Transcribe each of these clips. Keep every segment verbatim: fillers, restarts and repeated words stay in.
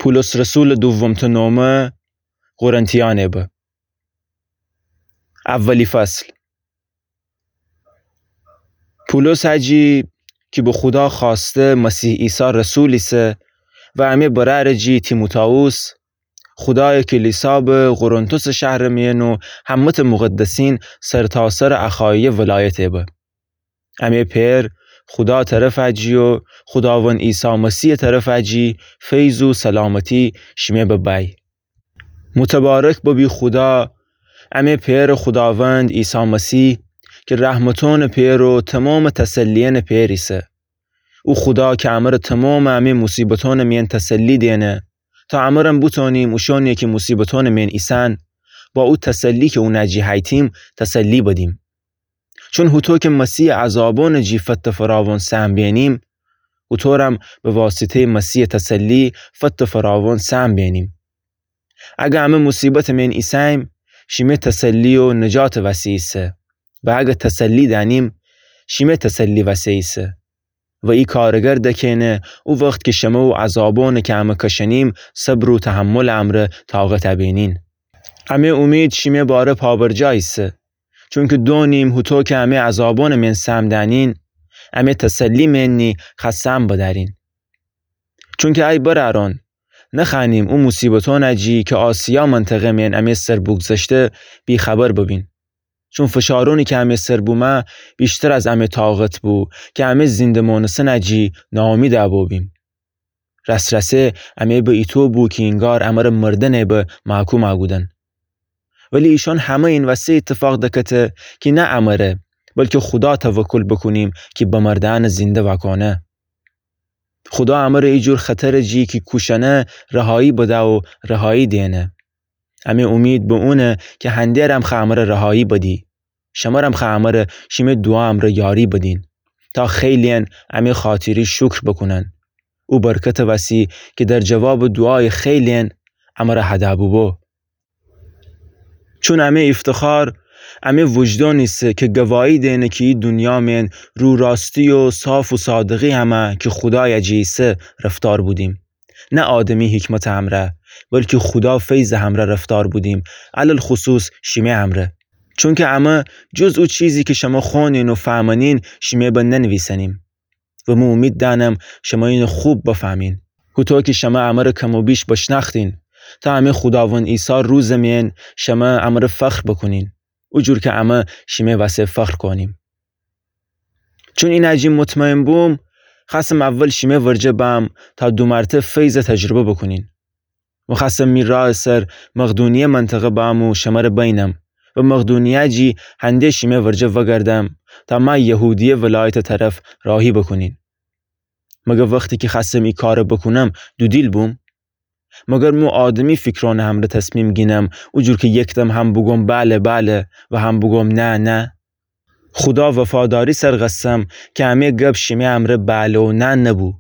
پولس رسولٚ دومتأ نومه قرنتیأنه به. اولی فصل. پولس هجی کی به خودا خوأسته مسیح عیسی رسول ایسه و امه برأرٚ جی تیموتائوس، خودایٚ کلیسا به قرنتوسٚ شهرٚ میأن و همه‌تأ مقدسین سرتاسرٚ اخایه ولایته به. امه پئر خودا طرفٚ جی و خوداوند عیسی مسیحٚ طرفٚ جی فیض و سلامتی شیمه ببی. متبارک ببی خودا، امه پئرٚ خوداوند عیسی مسیح، کی رحمتأنٚ پئر و تومامٚ تسلیأنٚ پئر ایسه. او خودا کی امره تومامٚ امه موصیبتأنٚ میأن تسلی دئنه، تا امرم بوتونیم اوشأنی کی موصیبتأنٚ میأن ایسن، با او تسلی کی اونٚ جی هیتیم تسلی بدیم. چون هوطو کی مسیحٚ عذابأنٚ جی فتٚ فراوان سهم بینیم، هوطورم به واسطه‌یٚ مسیحٚ تسلی فتٚ فراوان سهم بینیم. اگر امه موصیبتٚ میأن ایسه‌ییم، شیمه تسلی و نجاتٚ وسی ایسه. و اگر تسلی دأنیم، شیمه تسلی وسی ایسه. و ای کارٚ گرد کئنه، او وخت کی شمه او عذابأنٚ کی امه کشأنیم، صبر و تحملٚ امرأ طاقت ابینین. امه اومید شیمه باره پابرجا ایسه. چونکی دونیم هوطو کی امه عذابأنٚ میأن سهم دأنین، امه تسلی میأنی خو سهم بدأرین. چونکی ای برأرأن، نخوأنیم او موصیبتأنٚ جی کی آسیا منطقه میأن امه سر بوگذشته بی‌خبر ببین. چون فشارأنی کی امه سر بومه ویشتر از امه طاقت بو، کی امه زنده مانستنٚ جی ناامیدٚ بوبیم. رسرسه امه به ایطو بو کی اینگار امره مردنٚ به محکوم کودن. ولی ایشأن همه این وسه ایتفاق دکته کی نه امره، بلکی خودا توکل بوکونیم کی بمرده‌یأنٚ زنده وأکونه. خودا امره ایجور خطرٚ جی کی کوشأنه رهایی بده و رهایی دئنه. امه اومید به اونه کی هنده‌رم خو امره رهایی بدی. شمرم خو امره شیمه دوعا امرأ یاری بدین، تا خیلی‌یأن امه خاطری شکر بوکونن. او برکتٚ وسی کی در جوابٚ دوعایٚ خیلی‌یأن امره هده بوبو. چون امه ایفتخار امه وجدان ایسه کی گواهی دئنه کی ای دونیا میأن رو راستی و صاف و صادقی همه کی خودایٚ جی ایسه رفتار بودیم. نه آدمی حکمتٚ همرأ، بلکی خودا فیضٚ همرأ رفتار بودیم، علی‌الخصوص شیمه همرأ. چونکی امه جز او چیزی کی شمه خوأنین و فهمأنین، شیمه به ننویسنیم. و مو اومید دأنم شمه اینه خوب بفهمین. هوطو کی شمه امره کم و بیش بشنأختین، تا امه خوداوند عیسی روزٚ میأن شمه امره فخر بوکونین، اوجور کی امه شیمه وسه فخر کونیم. چون اینه جی مطمئن بوم، خوأستم اول شیمه ورجه بم تا دومرتأ فیضٚ تجربه بوکونین. و خوأستم می راهٚ سر مقدونیه منطقه بم و شمره بینم و مقدونیه جی هنده شیمه ورجه وگردم تا مأ یهودیه ولایتٚ طرف راهی بوکونین. مگر وختی کی خوأستم ای کاره بوکونم دودیل بوم؟ مگر مو آدمی فیکرأنٚ همرأ تصمیم گینم، اوجور کی یکدم هم بوگوم بله بله و هم بوگوم نه نه؟ خودا وفاداری سر قسم کی امه گب شیمه امرأ بله و نه نبو.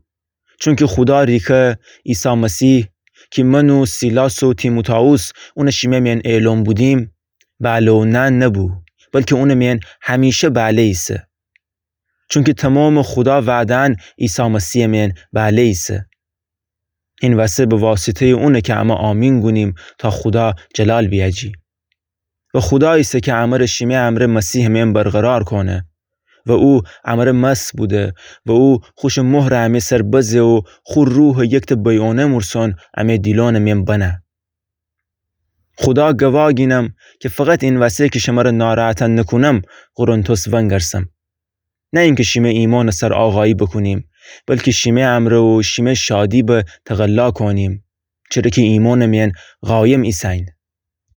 چونکی خودا ریکه عیسی مسیح کی من و سیلاس و تیموتائوس اونٚ شیمه میأن اعلان بودیم، بله و نه نبو، بلکی اونٚ میأن همیشه بله ایسه. چونکی تومامٚ خودا وعده‌یأن عیسی مسیحٚ میأن بله ایسه. این وسه به واسطه‌یٚ اونه کی امه آمین گونیم تا خودا جلال بیأجی. و خودا ایسه کی امره شیمه امرأ مسیحٚ میأن برقرار کونه. و او امره مس بوده و او خوشٚ مهرٚ امه سر بزه و خو روحٚ یکتأ بیعونه‌مورسون امه دیلونٚ میأن بنه. خودا گوا گینم کی فقط این وسه کی شمره ناراحت نوکونم قرنتوس ونگرسم. نه اینکی شیمه ایمانٚ سر آقایی بوکونیم، بلکی شیمه امرأ و شیمه شادی به تقلا کونیم، چره کی ایمانٚ میأن قایم ایسه‌یین.